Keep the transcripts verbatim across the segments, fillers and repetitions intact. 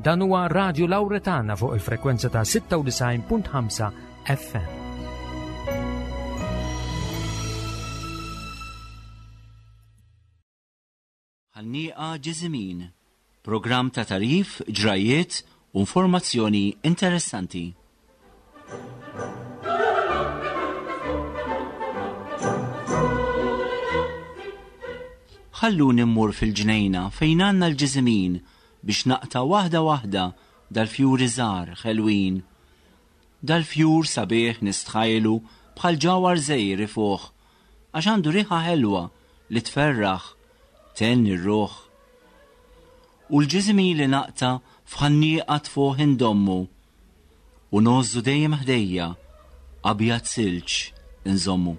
Dan huwa Radio Lauretana fuq il-frekwenza ta' sitta u disgħin punt ħamsa F M. Ħannieqa Ġiżimin, programm ta' tarif, ġrajiet u informazzjoni interessanti. Ħalluni mmur fil-ġnejna fejn għandna l-ġiżimin biex naqta' waħda waħda dal-fjuri żgħar ħelwin. Dal-fjur sabiħ nistħajlu bħal ġawhar żgħir ifuħ, għax għandu riħa ħelwa li tferraħ, tenni r-ruħ. U l-ġiżimin li naqta' f'ħannieqa tfuħ indommu u ngħożżu dejjem ħdejja abjad silġ inżommu.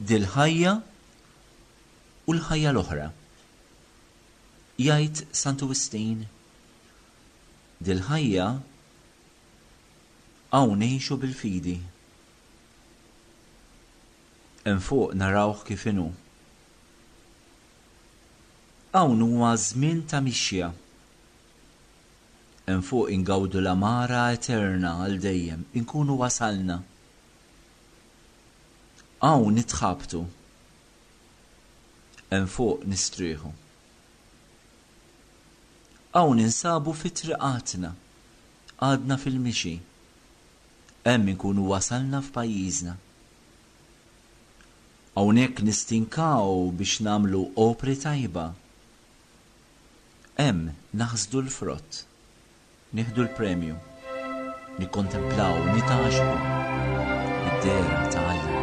Dil-ħajja u l-ħajja l-oħra. Jgħid Santu Wistin, dil-ħajja hawn ngħixu bil-fidi. Hemm fuq narawh kif inhu. Hawn huwa żmien ta' mixja. Hemm fuq ingawdu l-amara eterna għal dejjem, inkunu wasalna. Hawn nitħabtu. Hemm fuq nistrieħu. Hawn ninsabu fi triqatna, għadna fil-mixi. Hemm inkunu wasalna f'pajjiżna. Hawnhekk nistinkaw biex nagħmlu opri tajba. Hemm naħsdu l-frott, nieħdu l-premju, nikkontemplaw, nitgħaxqu id-dehra ta' Alla.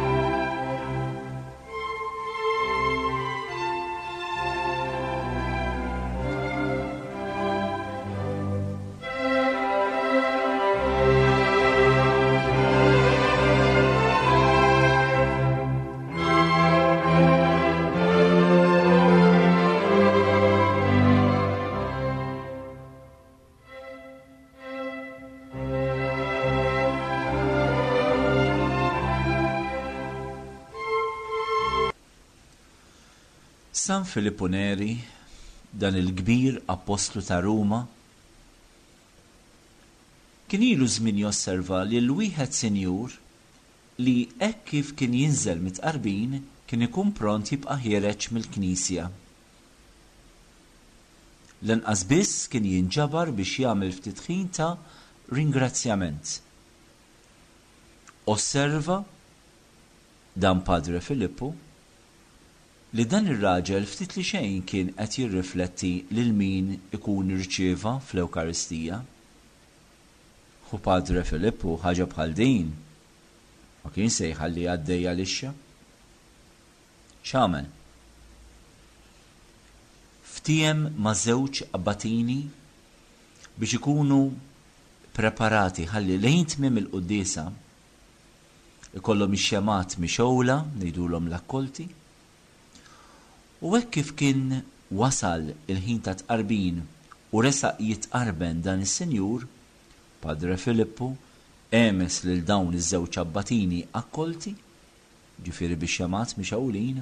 San Filippo Neri, dan il-kbir appostlu ta' Ruma, kien ilu żmien josserva li l-wieħed sinjur li hekk kif kien jinżel mit-tqarbin kien ikun pront jibqa' ħiereġ mill-knisja. Lanqas biss kien jinġabar biex jagħmel ftit ħin ta' ringrazzjament. Osserva dan Padre Filippo li dan ir-raġel ftit li xejn kien qed jirrifletti lil min ikun irċieva fl-Ewkaristija. U Padre Filippo ħaġa bħal din ma kien se jħalli għaddejja lixxa. X'għamel? Ftiem ma' żewġ abbatini biex ikunu preparati ħalli lejn tmiem il-quddiesa ikollhom ix-xemgħat mixgħula, ngħidulhom l-akkolti. U hekk kif kien wasal il-ħin ta' tqarbin u resaq jitqarben dan is-sinjur, Padre Filippo għemes lil dawn iż-żewġ abbatini akkolti, ġifieri biex xemgħat mixgħulin,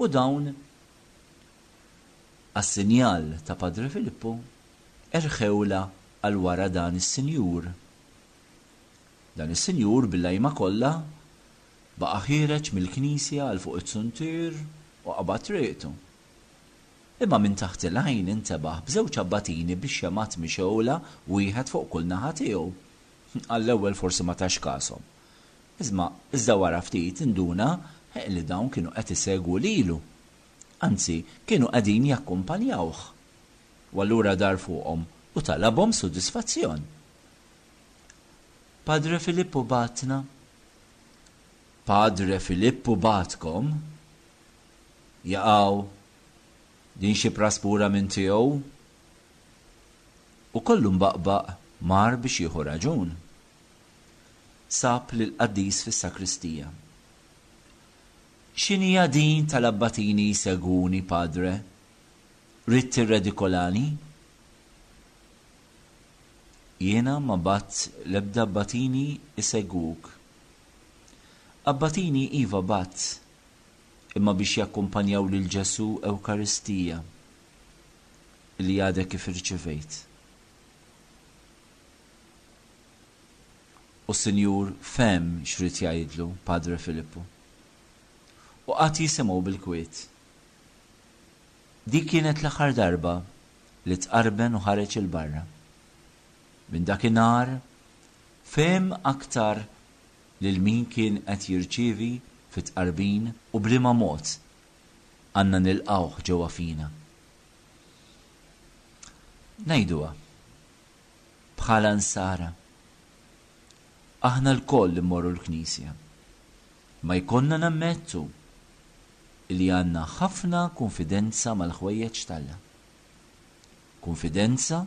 u dawn għas-sinjal ta' Padre Filippo erħewla għal wara dan is-sinjur. Dan is-sinjur bil-lajma kollha baqa' ħiereġ mill-knisja għal fuq it-suntier u qabad triqtu. Imma minn taħt il-għajn intebaħ b'żewġ abbatini biex xemgħat mixgħula wieħed fuq kull naħa tiegħu. Għall-ewwel forsi ma tax kashom. Iżma iżda wara ftit induna li dawn kienu qed isegwu lilu. Anzi, kienu qegħdin jakkumpanjawh. U allura dar fuqhom u talabhom sodisfazzjon. Padre Filippo batna. Padre Filippo batkom. Jaqaw, din xi praspura minn tiegħu. U kollu mbaqbaq mar biex jieħu raġun. Sab lil qaddis fis-sakristija. X'inhija din tal-abbatini jsegwuni, padre? Ridt tirredikolani? Jiena ma bat l-ebda abbatini isegwuk. Abbatini iva bat, imma biex jakkumpanjaw lil Ġesù Ewkaristija li għadek kif irċivejt. U s-Sinjur fehem x'rid jgħidlu Padre Filippu. U qagħad jisimgħu bil-kwiet. Dik kienet l-aħħar darba li tqarben u ħareġ 'il barra. Minn dakinhar fehem aktar lil min kien qed jirċievi fit-tqarbin u b'liema mod għandna nilqgħuh ġewwa fina. Ngħiduha bħala nsara. Aħna lkoll immorru l-Knisja. Ma jkollna nammettu li għandna ħafna konfidenza mal-ħwejjeġ t'Alla. Konfidenza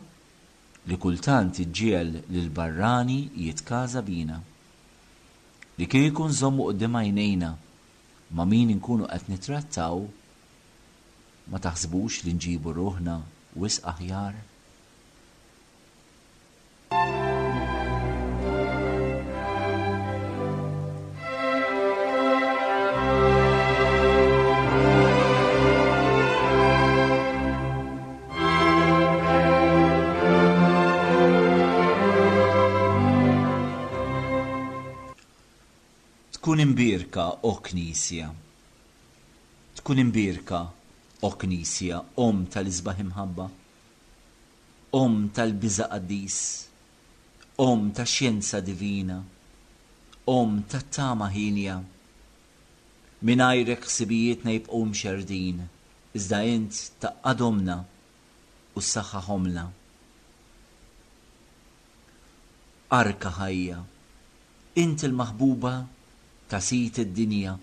li kultant iġġiegħel lil barrani jitkaża bina. Li kieku nżommu quddiem għajnejna ma' min inkunu qed nittrattaw, ma taħsbux li nġibu ruħna wisq aħjar? Tkun imbierka, o Knisja. Tkun imbierka, o Knisja, Omm tal-isbaħ imħabba, Omm tal-biża' qaddis, Omm tax-xjenza divina, Omm tat-tama ħienja. Mingħajrek ħsibijietna jibqgħu mxerdin, iżda int tgħaqqadhomlna u ssaħħaħomlna. Arka ħajja, int il-maħbuba ta' sid id-dinja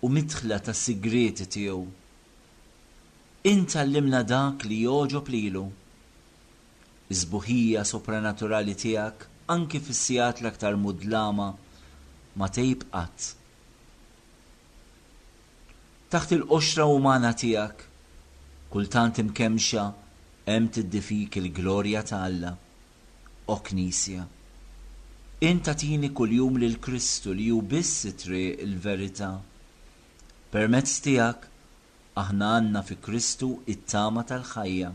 u midħla tas-sigrieti tiegħu. Int għallimna dak li jogħġob lilu. Is-sbuħija sopranaturali tiegħek anki fis-sigħat l-aktar mudlama ma tgħib qatt. Taħt il-qoxra umana tiegħek, kultant imkemxa hemm tiddi fik il-glorja ta' Alla. O Knisja, int tagħtini kuljum lil Kristu li hu biss it-triq il-verità. Permezz tiegħek aħna għandna fi Kristu it-tama tal-ħajja.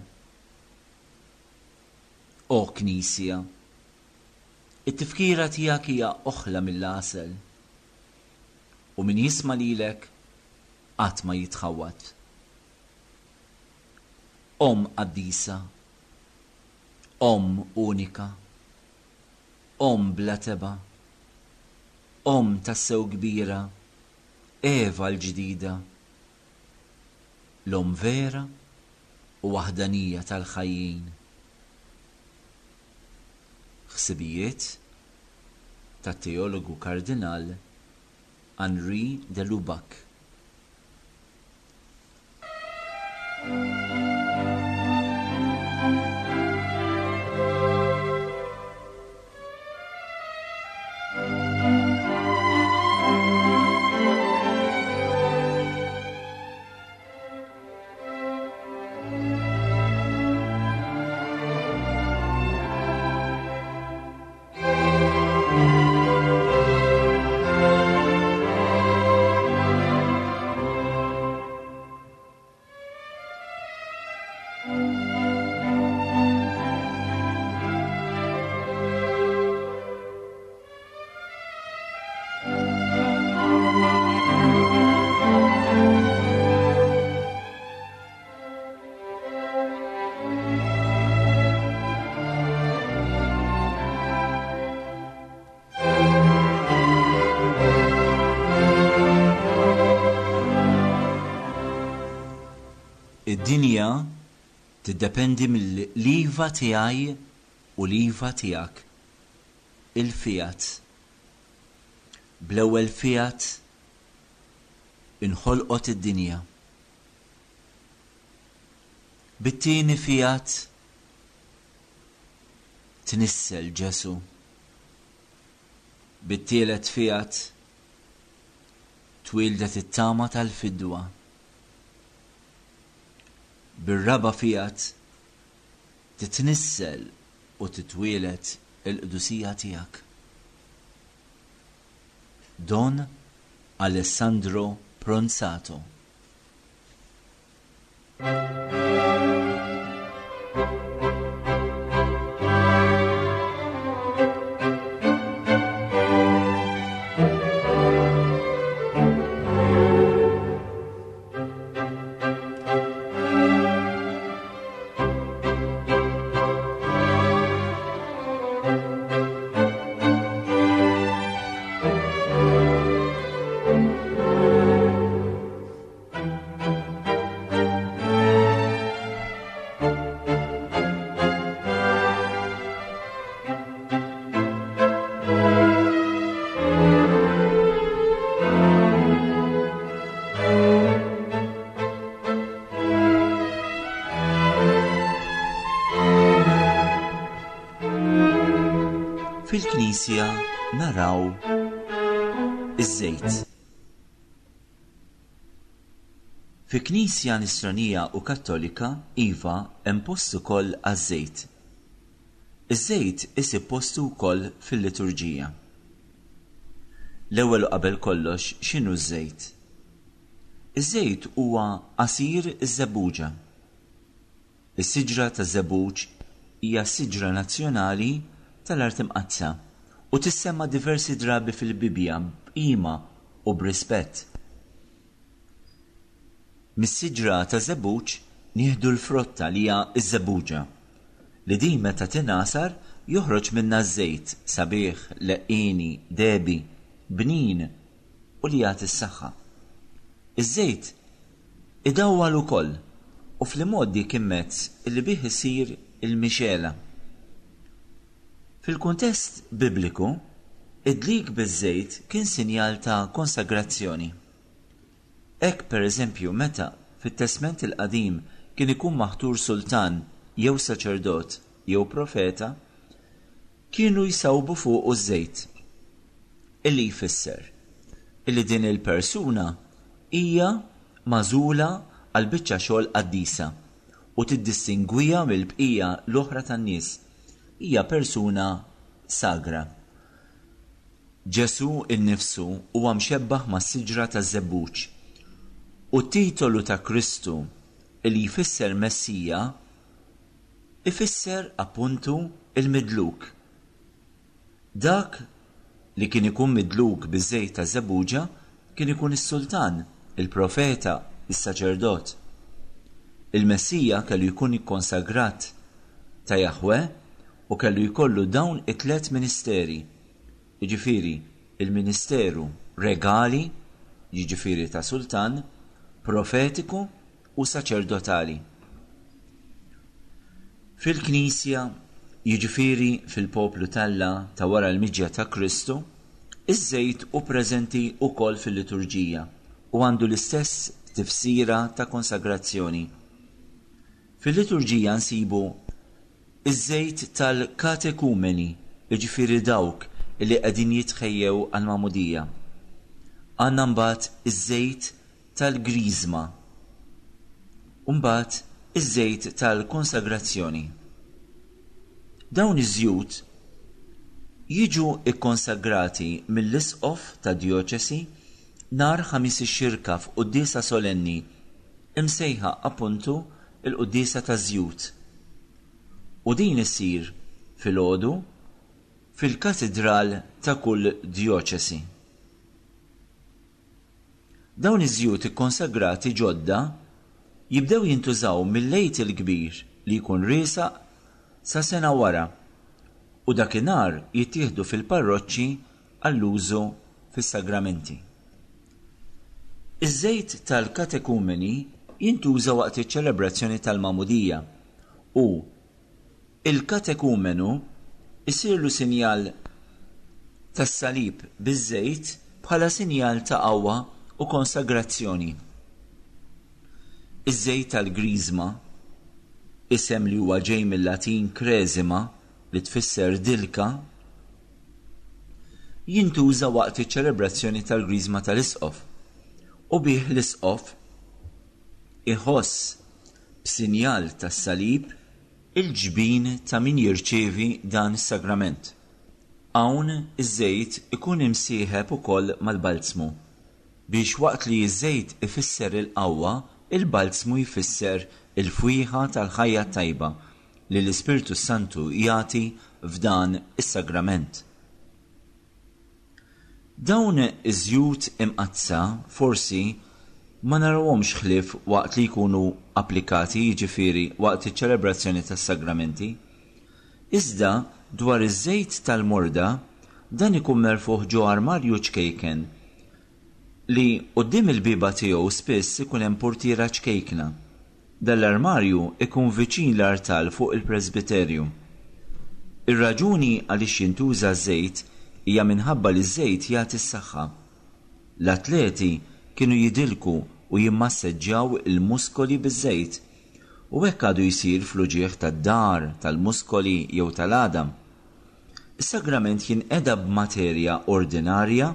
O Knisja, it-tifkira tiegħek hija oħla mill-għasel, u min jisma' lilek qatt ma jitħawwad. Omm qaddisa, Omm unika, Omm bla tebgħa, Omm tassew kbira, Eva l-ġdida, l-Omm vera u waħdanija tal-ħajjin. Ħsibijiet tat-teologu Kardinal Henri de Lubac. Id-dinja tiddependi mill-iva tiegħi u l-iva tiegħek. Il-fiat. Bl-ewwel fiat inħolqot id-dinja. Bit-tieni fiat tnissel Ġesu. Bit-tielet fiat twildet it-tama tal-fidwa. Bir-raba' fiat titnissel u titwielet il-qdusija tiegħek. Don Alessandro Pronzato. Fil-Knisja naraw iż-żejt. Fi Knisja Nisranija u Kattolika, iva, hemm post ukoll għaż-żejt. Iż-żejt isib postu wkoll fil-liturġija. L-ewwel u qabel kollox, x'inhu ż-żejt? Iż-żejt huwa għasir iż-żebbuġa. Is-siġra taż-żebbuġ hija s-siġra nazzjonali tal-Art Imqaddsa u tissemma diversi drabi fil-Bibbja b'qima u b'rispett. Mis-siġra ta' żebbuġ nieħdu l-frotta li hija ż-żebbuġa, li din meta tingħasar joħroġ minnha ż-żejt sabiħ, leqqieni, dehbi, bnin u li jagħti s-saħħa. Iż-żejt idawwal ukoll u fl-imgħoddi kien mezz li bih isir il-mixela. Fil-kuntest bibliku, id-dlik biż-żejt kien sinjal ta' konsagrazzjoni. Hekk pereżempju meta fit-Testment il-Qadim kien ikun maħtur sultan jew saċerdot jew profeta, kienu jsawbu fuqu ż-żejt, illi jfisser illi din il-persuna hija magħżula għal biċċa xogħol qaddisa u tiddistingwiha mill-bqija l-oħra tan-nies. Hija persuna sagra. Ġesù innifsu huwa mxebbaħ mas-siġra taż-żebbuġ u t-titolu ta' Kristu li jfisser Messija ifisser appuntu il-midluk. Dak li kien ikun midluk biż-żejt ta' żebbuġa kien ikun is-sultan, il-profeta, is-saċerdot. Il-Messija kellu jkun ikkonsagrat ta' Jahwe u kellu jkollu dawn it-tliet ministeri, jiġifieri il-ministeru regali, jiġifieri ta' sultan, profetiku u saċerdotali. Fil-Knisja, jiġifieri fil-poplu t'Alla ta' wara l-miġja ta' Kristu, iż-żejt hu preżenti wkoll fil-liturġija u għandu l-istess tifsira ta' konsagrazzjoni. Fil-liturġija nsibu iż-żejt tal-katekumeni, jiġifieri dawk li qegħdin jitħejjew għall-magħmudija. Għandna mbagħad iż-żejt tal-griżma u mbagħad iż-żejt tal-konsagrazzjoni. Dawn iż-żjut jiġu kkonsagrati mill-isqof ta' djoċesi nhar Ħamis ix-Xirka f'quddiesa solenni imsejħa appuntu l-quddiesa taż-żjut. U din issir filgħodu fil-katidral ta' kull djoċesi. Dawn iż-żjut ikkonsagrati ġodda jibdew jintużaw mill-Għid il-Kbir li jkun riesaq sa sena wara u dakinhar jittieħdu fil-parroċċi għall-użu fis-sagramenti. Iż-żejt tal-katekumeni jintuża waqt iċ-ċelebrazzjoni tal-magħmudija u il-katekumenu isirlu sinjal tas-salib biż-żejt bħala sinjal ta' qawwa u konsagrazzjoni. Iż-żejt tal-griżma, isem li huwa ġej mill-Latin cresima li tfisser dilka, jintuża waqt iċ-ċelebrazzjoni tal-griżma tal-isqof u bih l-isqof iħoss b'sinjal tas-salib il-ġbin ta' min jirċievi dan is-sagrament. Hawn iż-żejt ikun imsieħeb ukoll mal-balzmu biex waqt li ż-żejt ifisser il-qawwa, il-balzmu jfisser il-fwieħa tal-ħajja tajba li l-Ispirtu Santu jagħti f'dan is-sagrament. Dawn iż-żjut imqaddsa forsi ma narawhomx ħlief waqt li jkunu applikati, jiġifieri waqt iċ-ċelebrazzjoni tas-sagramenti. Iżda dwar iż-żejt tal-morda, dan ikun merfuħ ġo armarju ċkejken li quddiem il-bieba tiegħu spiss ikun hemm portiera ċkejkna. Dan l-armarju ikun viċin l-artal fuq il-presbiterju. Ir-raġuni għaliex jintuża ż-żejt hija minħabba li ż-żejt jagħti s-saħħa. L-atleti kienu jidilku u jimmasseġġjaw il-muskoli biż-żejt, u hekk għadu jsir fl-uġigħ tad-dar, tal-muskoli jew tal-għadam. Is-sagrament jinqeda b'materja ordinarja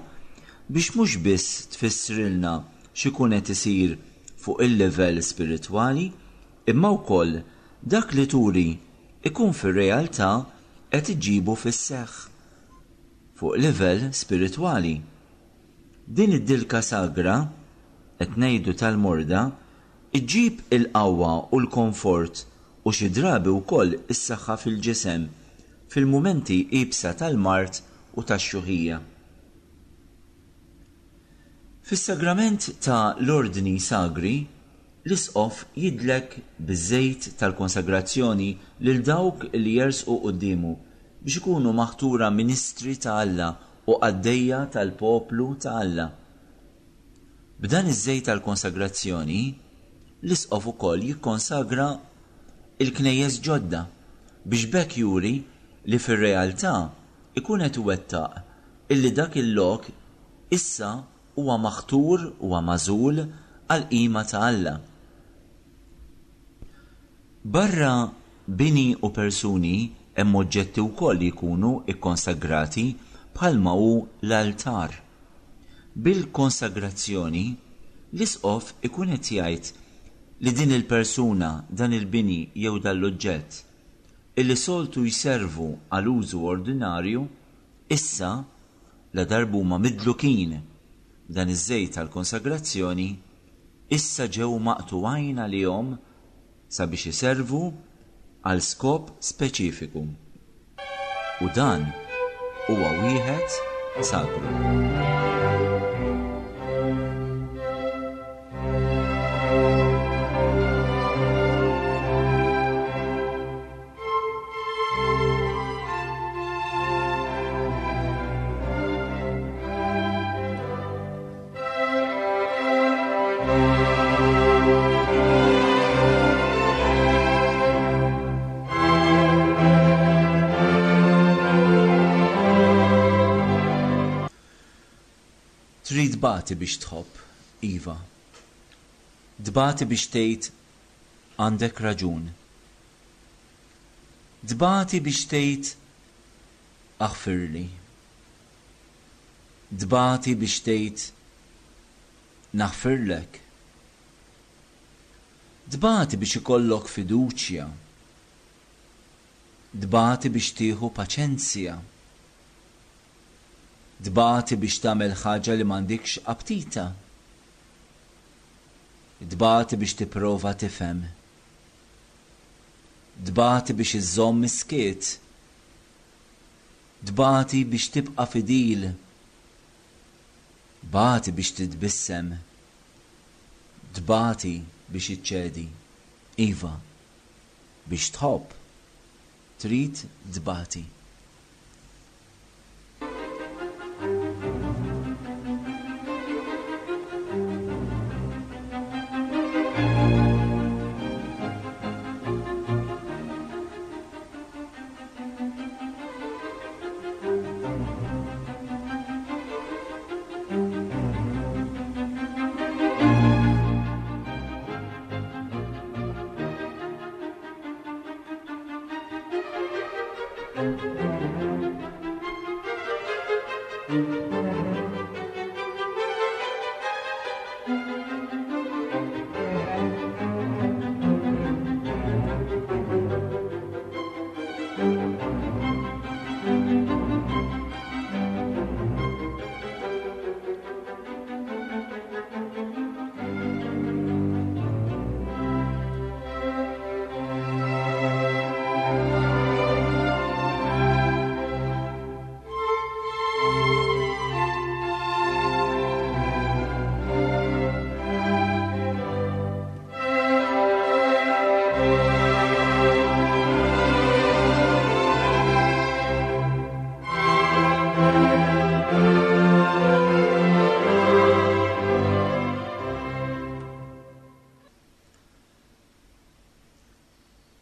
biex mhux biss tfissrilna x'ikun qed isir fuq il-livell spiritwali, imma wkoll dak li turi ikun fir-realtà qed iġibu fis-seħħ fuq livell spiritwali. Din id-dilka sagra, qed ngħidu tal-morda, iġġib il-qawwa u l-komfort u xi drabi wkoll is-saħħa fil-ġisem fil-mumenti iebsa tal-mard u tax-xjuħija. Fis-sagrament ta' l-ordni sagri, l-isqof jidlek biż-żejt tal-konsagrazzjoni lil dawk li jersqu quddiemu biex ikunu maħtura ministri ta' Alla u qaddejja tal-poplu ta' Alla. B'dan iż-żejt tal-konsagrazzjoni, l-isqof ukoll jikkonsagra il-knejjes ġodda biex b'hekk juri li fir-realtà ikun qed iwettaq illi dak il-lok issa huwa maħtur, huwa magħżul għall-qima ta' Alla. Barra bini u persuni hemm oġġetti wkoll li jkunu kkonsagrati bħalma hu l-altar. Bil-konsagrazzjoni l-isqof ikun qed jgħid li din il-persuna, dan il-bini jew dan l-oġġett illi soltu jservu għal użu ordinarju, issa la darba huma midlukin b'dan iż-żejt tal-konsagrazzjoni, issa ġew maqtugħin għalihom sabiex iservu għal skop speċifiku. U dan huwa wieħed sagru. Trid tbati biex tħobb, iva. Tbati biex tgħid għandek raġun. Tbati biex tgħid aħfirli. Tbati biex tgħid naħfirlek. Tbati biex ikollok fiduċja. Tbati biex tieħu paċenzja. Tbati biex tagħmel ħaġa li m'għandikx aptita. Tbati biex tipprova tifhem. Tbati biex iżżomm is-skiet. Tbati biex tibqa' fidil. Tbati biex titbissem. Tbati biex iċċedi. Iva, biex tħobb trid tbati. Thank you.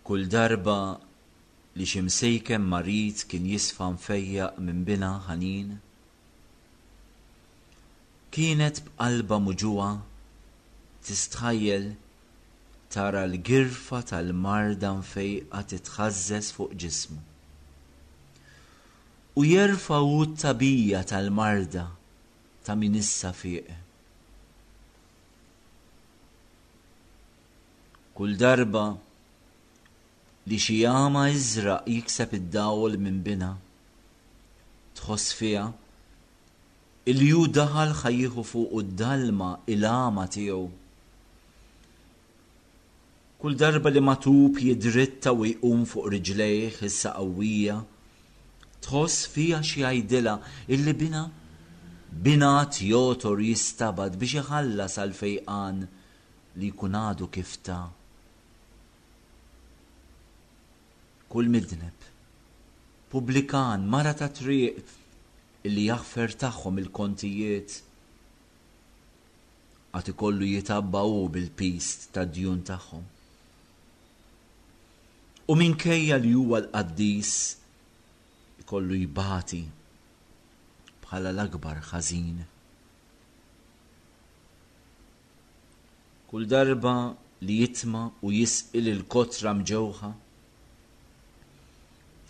Kull darba li xi msejken marid kien jisfa mfejjaq minn binha ħanin, kienet b'qalbha muġugħa tistħajjel tara l-girfa tal-marda mfejqa titħażżeż fuq ġismu. U jerfa' hu t-tagħbija tal-marda ta' min issa fieq. Kull darba li xi għama iżraq jikseb id-dawl minn binha, tħoss fiha illi hu daħal ħa jieħu fuqu d-dalma il-għama tiegħu. Kull darba li matub jidritta u jqum fuq riġlejh issa qawwija, tħoss fiha xi jgħidilha illi binha binha għad jogħtor jistabad biex iħallas għall-fejqan li jkun għadu kif ta. Kull midneb, pubblikan, mara ta' triq illi jaħfer tagħhom il-kontijiet, għad ikollu jitabba hu bil-piż tad-djun tagħhom. U minkejja li huwa l-qaddis, ikollu jbati bħala l-akbar ħażin. Kull darba li jitma' u jisqi lil kotra mġewħa,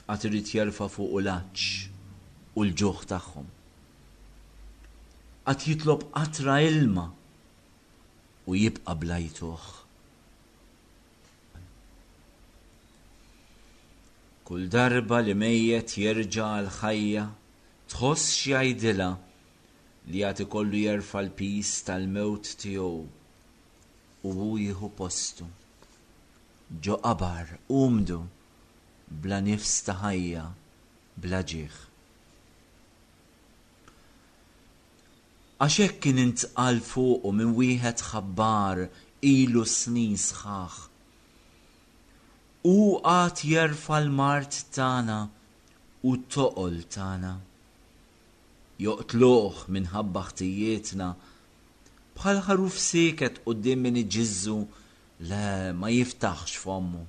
għad irid jerfa' fuqu l-għatx u l-ġuħ tagħhom. Għad jitlob qatra ilma u jibqa' bla jtuh. Kull darba li mejjet jerġa' għall-ħajja, tħoss x'jgħidilha li għad ikollu jerfa' l-piż tal-mewt tiegħu u hu jieħu postu. Ġo qabar umdu, bla nifs ta' ħajja, bla ġieħ. Għax hekk kien intqal fuqu minn wieħed ħabbar ilu snin sħaħ. Hu għad jerfa' l-mard tagħna u t-toqol tagħna. Joqtluh minħabba ħtijietna, bħal ħaruf sieket quddiem min iġiżżu, le ma jiftaħx fommu.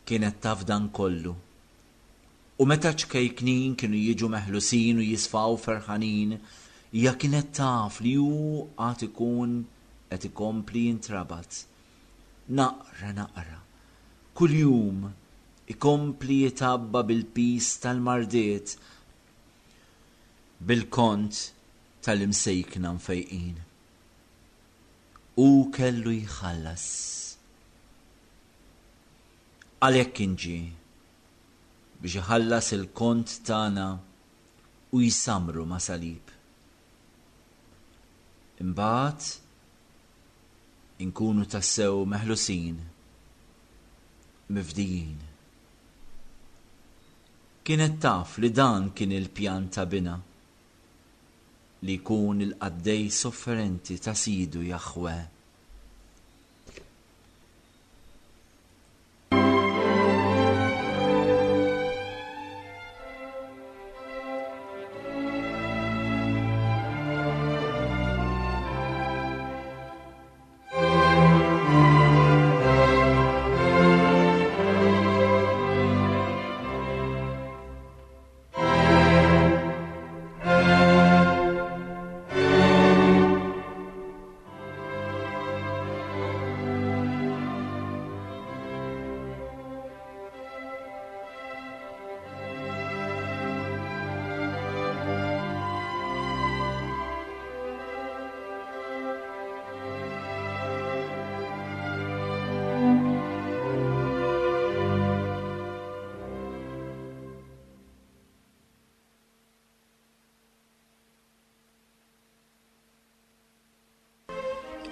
Kienet taf dan kollu. U meta ċkejknin kienu jiġu meħlusin u jisfaw ferħanin, hija kienet taf li hu għad ikun qed ikompli jintrabat. Naqra naqra, kuljum ikompli jitabba bil-piż tal-mardiet, bil-kont tal-imsejkna mfejqin. Hu kellu jħallas. Għalhekk kien ġie biex iħallas il-kont tagħna u jsamru ma' salib. Imbagħad inkunu tassew meħlusin, mifdijin. Kienet taf li dan kien il-pjan ta' binha, li jkun il-qaddej sofferenti ta' Sidu Jaħwe.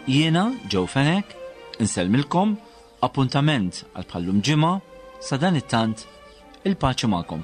Jiena, Joe Fenech, insellmilkom, appuntament għal bħallum ġimgħa, sa dan it-tant, il-paċi magħkom.